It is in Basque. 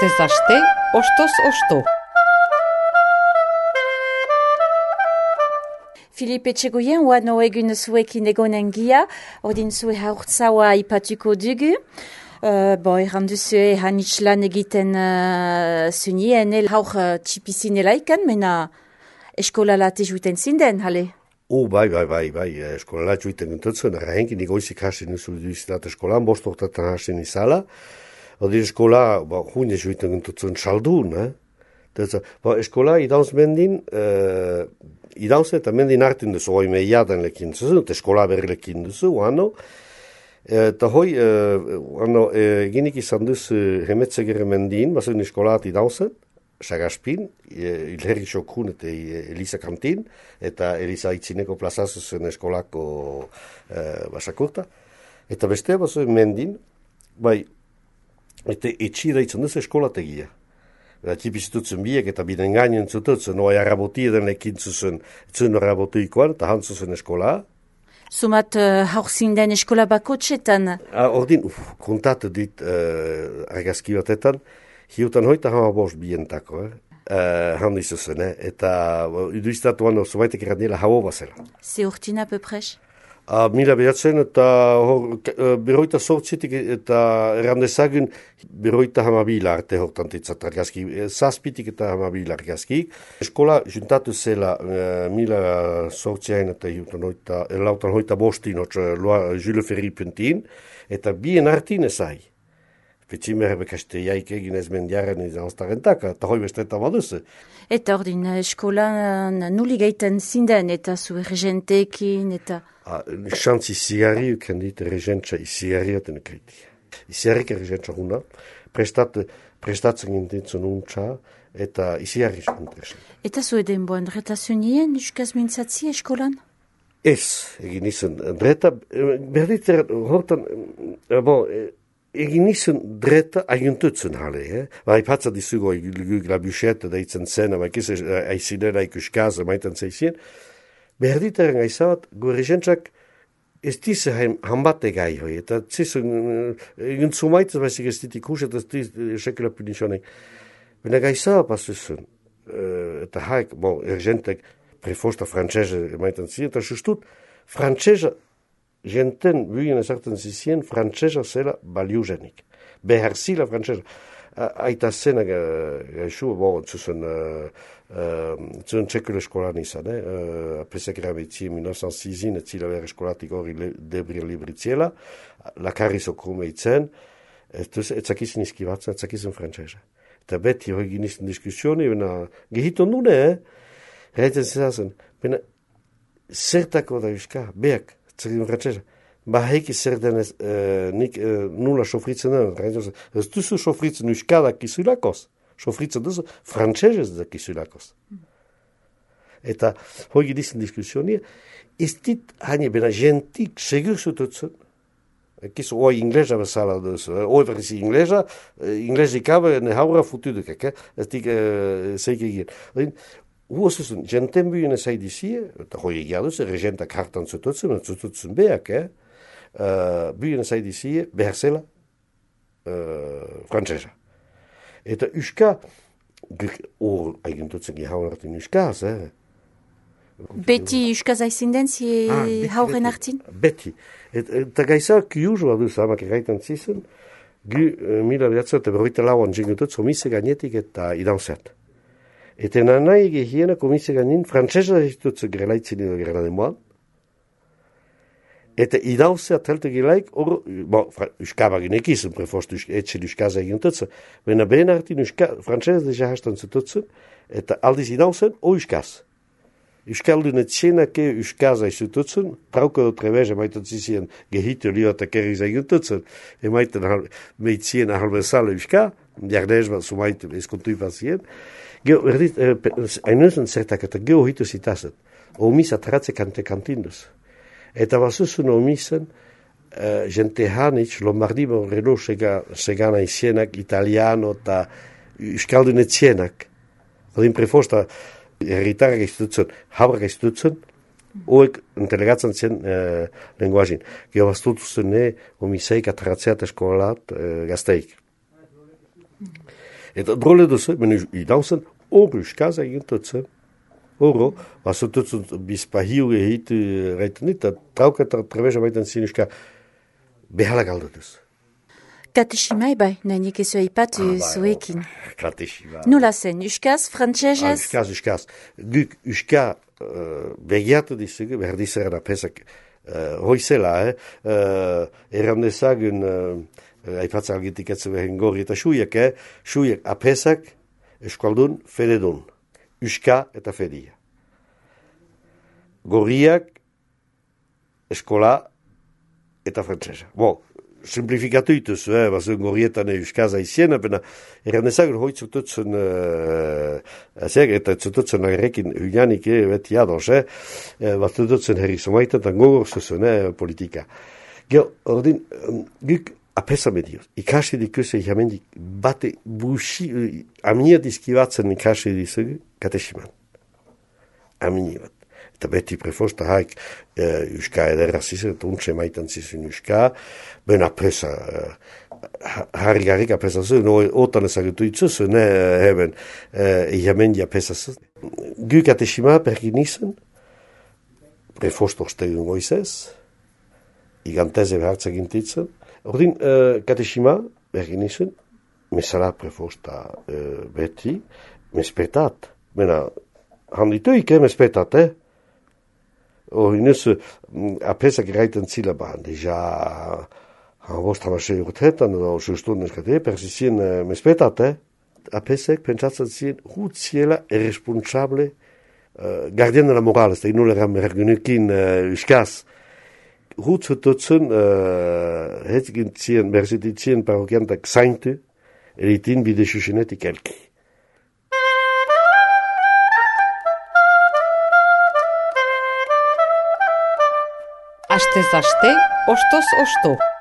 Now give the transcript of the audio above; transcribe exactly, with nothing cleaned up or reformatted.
Astez aste, ostoz osto. Filipe Etxegoien, oano egun zuekin egonen gia, ordin zue haurtzaua ipatuko dugu. Uh, bon, erran duzue hanitz lan egiten uh, zunien, el haur uh, txipizinela ikan, mena eskola late juiten zinden, hale? Oh, bai, bai, bai, bai, eskola late juiten gintutzen, errahenkin igoizik hasten nuzu duizitat eskolan, bostoktetan hasten izala, odi eskola, ba, june juiten gintutzen saldun, eh? Teza, ba, eskola idauz mendin, uh, idauz eta mendin hartin duzu, hoi meiadan lekin duzu, eskola berri lekin duzu, oano, eta hoi, oano, eginik izan duzu hemetzegere mendin, bazen eskolaat idauzen, Sagaspin, Ilherri Xokun eta Elisa Kantin, eta Elisa Itzineko plazazuzen eskolako uh, basakurta. Eta beste, bazen mendin, bai, eta etxira izan duzu eskolategia. Tipizitutzen biek eta biden gainen zututzen, oa arraboti eden lekin zuzen, zuen arrabotuikoan, eta hantzuzen eskola. Sumat uh, haur zinden eskola bakotxetan? Ah, ordin, uf, kontatu dit uh, argazki batetan, hiutan hoita hama bost bientako, eh? Uh, handi zuzen, eh? Eta uh, iduiztatuan oso baitek errandela hau bazela. Ze urtina peprez? Uh, mila behatzen eta hor, uh, beroita sortzitik eta errandezagun beroita hamabila arte hortantitzat argazki, zazpitik eta hamabila argazki. Eskola juntatu zela uh, mila sortziain eta hiutan hoita, lautan hoita bostin, hotz, Jules Ferry puntin, eta bien artin ezai. Petzimer bekaste jaik egin ez mendiaren izan oztarentak, eta hoi bestetan baduze. Eta ordin eskolan nuli gaiten zinden, eta zu erregenteekin, eta... Ah, Xantz izigarri uken dit, erregentza izigarri aten ekriti. Izigarrik erregentza huna, prestat, prestatzen gintintzen untxa, eta izigarri zuntresen. Eta zu eden boan retazionien, uskaz mintzatzi eskolan? Ez, egin izan, dreta, berditer, hortan, bon, egin izan dreta agintutzen hale, eh? Ba, ipatza dizugo, la buchette da itzen zen, ba, ikiz, aizinera ikuskaz, maiten zeizien, berditaren aizabat, goregentzak ez dize hanbate gai hoi, eta zizun, egin zumaitzaz baizik ez dit ikus, eta ez dit sekela punizionek. Bena gaizabat pasuzun, eta haik, bon, ergentek prefosta frantzese maiten ziren, eta justut, frantzese jenten buien ezartzen zizien, frantzesa zela baliuzenik. Behar zila frantzesa. Aita zena gaixu, bon, zuzen, zuzen txekule eskolan izan, eh? Apesek erabetzi, mila novecent seisin, ez zila behar eskolatik hori debri libritziela, lakarri zokume itzen, ez zakizin izkibatzen, ez zakizin frantzesa. Eta beti hori ginizten diskusioni, bena, gehiton dune, eh? Reiten zizazen, bena, zertako da euska, beak, zertin frantzesa. Ba heiki zer denez, eh, nik eh, nula sofritzen den, ez duzu sofritzen euskadak izulakoz, sofritzen duzu frantzesez da izulakoz. Eta hoi dizen diskussionia, ez dit haine bena jentik segur zututzen, ekiz oi inglesa bezala duzu, oi verzi inglesa, inglesi kabe ne haura futuduk, ez dik zeik egin. Huosuzen, jenten buien ez haidizie, eta hoi egia duz, regentak hartan zututzen, zututzen beak, eh? Uh, buien zaidizie behar zela uh, frantzesa. Eta uska, hor egintutzen gehauan hartin uskaz, eh? Beti uskaz aizinden zi ah, hauren hartin? Beti. Et, eta gaisa kiuzu aduz hamak erraitan zizen, gu uh, mila behatzen eta berroita lauan jengutut zomise gainetik eta idauzet. Eta nanai gehiena komise gainin frantzesa zitutzen grelaitzen edo grelademoan, eta idauzea telte gilaik, or, bon, uskabagin ekizun, prefost etxen uskaza egin tutzen, bena behen hartin frantzesa deja hastan zututzen, eta aldiz idauzen, o uskaz. Uskaldun etxenake uskaza izututzen, trauko trebeze maiten zizien gehitu liota kerriz egin tutzen, emaiten meitzien ahalbezale uska, jardez bat sumaiten eskontu ifazien, geho, erdit, hainuzun zertak eta geho hitu zitazet, omis atratze kante kantinduz. Eta bazuzun omisen, uh, jente hanitz, Lombardimo relo segana izienak, italiano eta euskaldun etzienak. Odin prefosta, herritarrak istutzen, habrak istutzen, oek entelegatzen zen uh, lenguazin. Gero baztutuzen ne, omiseik atratzeat eskolat uh, gazteik. Eta drole duzu, menu idauzen, hor uskaz egintutzen. Horo, bazututzen bizpahiu ehitu reiten dit, eta trauketa trebeza baiten zin uska behala galdutuz. Kateshima bai, nahinik ezu eipatu Ah, bai, zuekin. Kateshima. Nola zen, uskaz, Ah, frantsesez? uskaz, uskaz. Guk uska uh, begiatu dizugu, behar dizera pesak uh, hoizela, eh? Uh, errandezagun, uh, aipatzak algitik etzu behin gorri eta suiek, eh? Suiek apesak, eskualdun, fededun. Uska eta fedia. Gorriak, eskola eta frantsesa. Bo, simplifikatu ituzu, eh, bazuen gorrietan euskaza izien, apena errandezagun hoi zututzen, uh, azek, eta zututzen agerrekin huianik, eh, beti ados, eh, bat zututzen herri somaitan, eta gogor zuzun, eh, politika. Gero, ordin, um, guk apesa medioz, ikasi dikuze jamendik bate busi, uh, amnia dizkibatzen ikasi dizugu, katesiman. Amnia bat. Eta beti prefosta haik uh, uska ederra zizun, eta untxe maitan zizun uska, ben apesa, uh, harri garrik apesa zuen, no, otan ezagutu itzuzu, ne, heben, uh, jamendi apesa zuen. Gu katesima pergin izan, prefosta ostegun goizez, iganteze behartzak intitzen. Ordin, uh, katesima, bergin izan, mesala prefosta uh, beti, mespetat. Mena, handituik, eh, mespetat, eh? Orinus, apesak eraiten zila bahan, deja, bost hamasei urteetan, edo sustunden eskate, persizien uh, mespetat, eh? Apesek pentsatzen ziren, hut ziela irresponsable, uh, gardien de la moral, ez da inuleran mergunekin uh, uskaz, hut zututzen, uh, hetzigintzien, berzititzien parokiantak zaintu, eritin bide susenetik elki. Astez aste, ostoz osto.